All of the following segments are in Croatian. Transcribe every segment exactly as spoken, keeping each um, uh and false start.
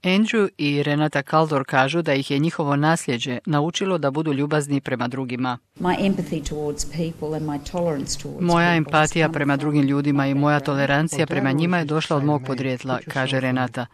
Andrew i Renata Kaldor kažu da ih je njihovo nasljeđe naučilo da budu ljubazni prema drugima. Moja empatija prema drugim ljudima i moja tolerancija prema njima je došla od mog podrijetla, kaže Renata.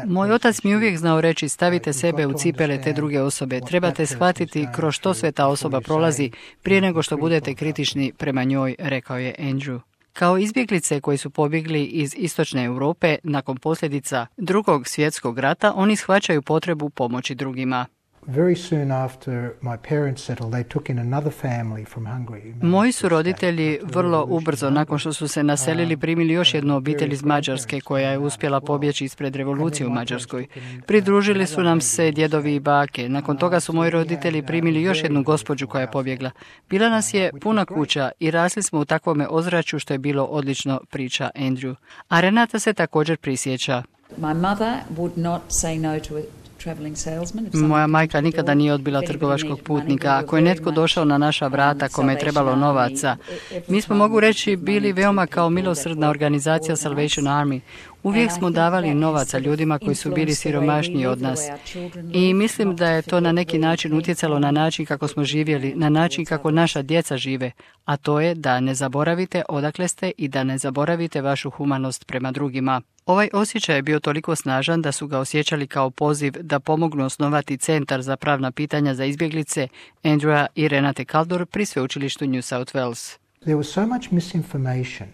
Moj otac mi uvijek znao reći: stavite sebe u cipele te druge osobe, trebate shvatiti kroz što sve ta osoba prolazi prije nego što budete kritični prema njoj, rekao je Andrew. Kao izbjeglice koji su pobjegli iz istočne Europe nakon posljedica Drugog svjetskog rata, oni shvaćaju potrebu pomoći drugima. Moji su roditelji vrlo ubrzo nakon što su se naselili primili još jednu obitelj iz Mađarske koja je uspjela pobjeći ispred revolucije u Mađarskoj. Pridružili su nam se djedovi i bake. Nakon toga su moji roditelji primili još jednu gospođu koja je pobjegla. Bila nas je puna kuća i rasli smo u takvome ozračju što je bilo odlično, priča Andrew. A Renata se također prisjeća. Moja majka nikada nije odbila trgovačkog putnika. Ako je netko došao na naša vrata kome je trebalo novaca, mi smo, mogu reći, bili veoma kao milosrdna organizacija Salvation Army. Uvijek smo davali novaca ljudima koji su bili siromašniji od nas. I mislim da je to na neki način utjecalo na način kako smo živjeli, na način kako naša djeca žive, a to je da ne zaboravite odakle ste i da ne zaboravite vašu humanost prema drugima. Ovaj osjećaj je bio toliko snažan da su ga osjećali kao poziv da pomognu osnovati centar za pravna pitanja za izbjeglice Andrewa i Renate Kaldor pri sveučilištu New South Wales. There was so much misinformation.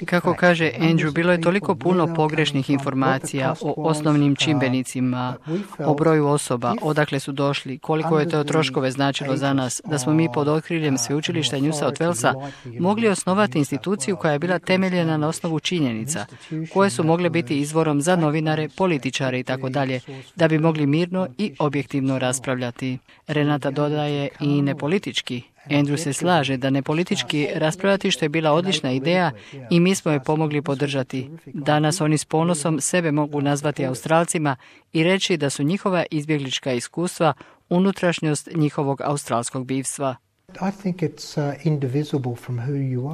Kako kaže Andrew, bilo je toliko puno pogrešnih informacija o osnovnim čimbenicima, o broju osoba, odakle su došli, koliko je to troškove značilo za nas, da smo mi pod okriljem sveučilišta New South Walesa mogli osnovati instituciju koja je bila temeljena na osnovu činjenica, koje su mogle biti izvorom za novinare, političare i tako dalje, da bi mogli mirno i objektivno raspravljati. Renata dodaje i nepolitički. Andrew se slaže da ne politički raspravljati, što je bila odlična ideja i mi smo je pomogli podržati. Danas oni s ponosom sebe mogu nazvati Australcima i reći da su njihova izbjeglička iskustva unutrašnjost njihovog australskog bivstva.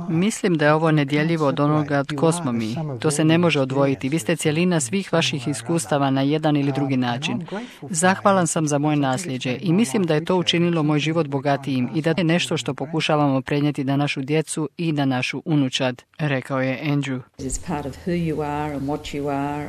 Mislim da je ovo nedjeljivo od onoga tko smo mi. To se ne može odvojiti. Vi ste cjelina svih vaših iskustava na jedan ili drugi način. Zahvalan sam za moje nasljeđe i mislim da je to učinilo moj život bogatijim i da je nešto što pokušavamo prenijeti na našu djecu i na našu unučad, rekao je Andrew.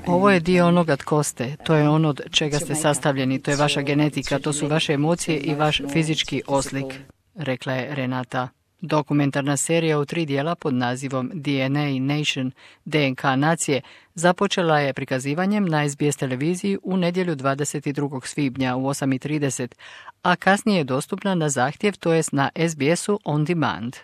Ovo je dio onoga tko ste. To je ono od čega ste sastavljeni. To je vaša genetika. To su vaše emocije i vaš fizički oslik, rekla je Renata. Dokumentarna serija u tri dijela pod nazivom D N A Nation, D N K nacije, započela je prikazivanjem na S B S televiziji u nedjelju dvadeset drugog svibnja u osam i trideset, a kasnije je dostupna na zahtjev, to jest na S B S-u On Demand.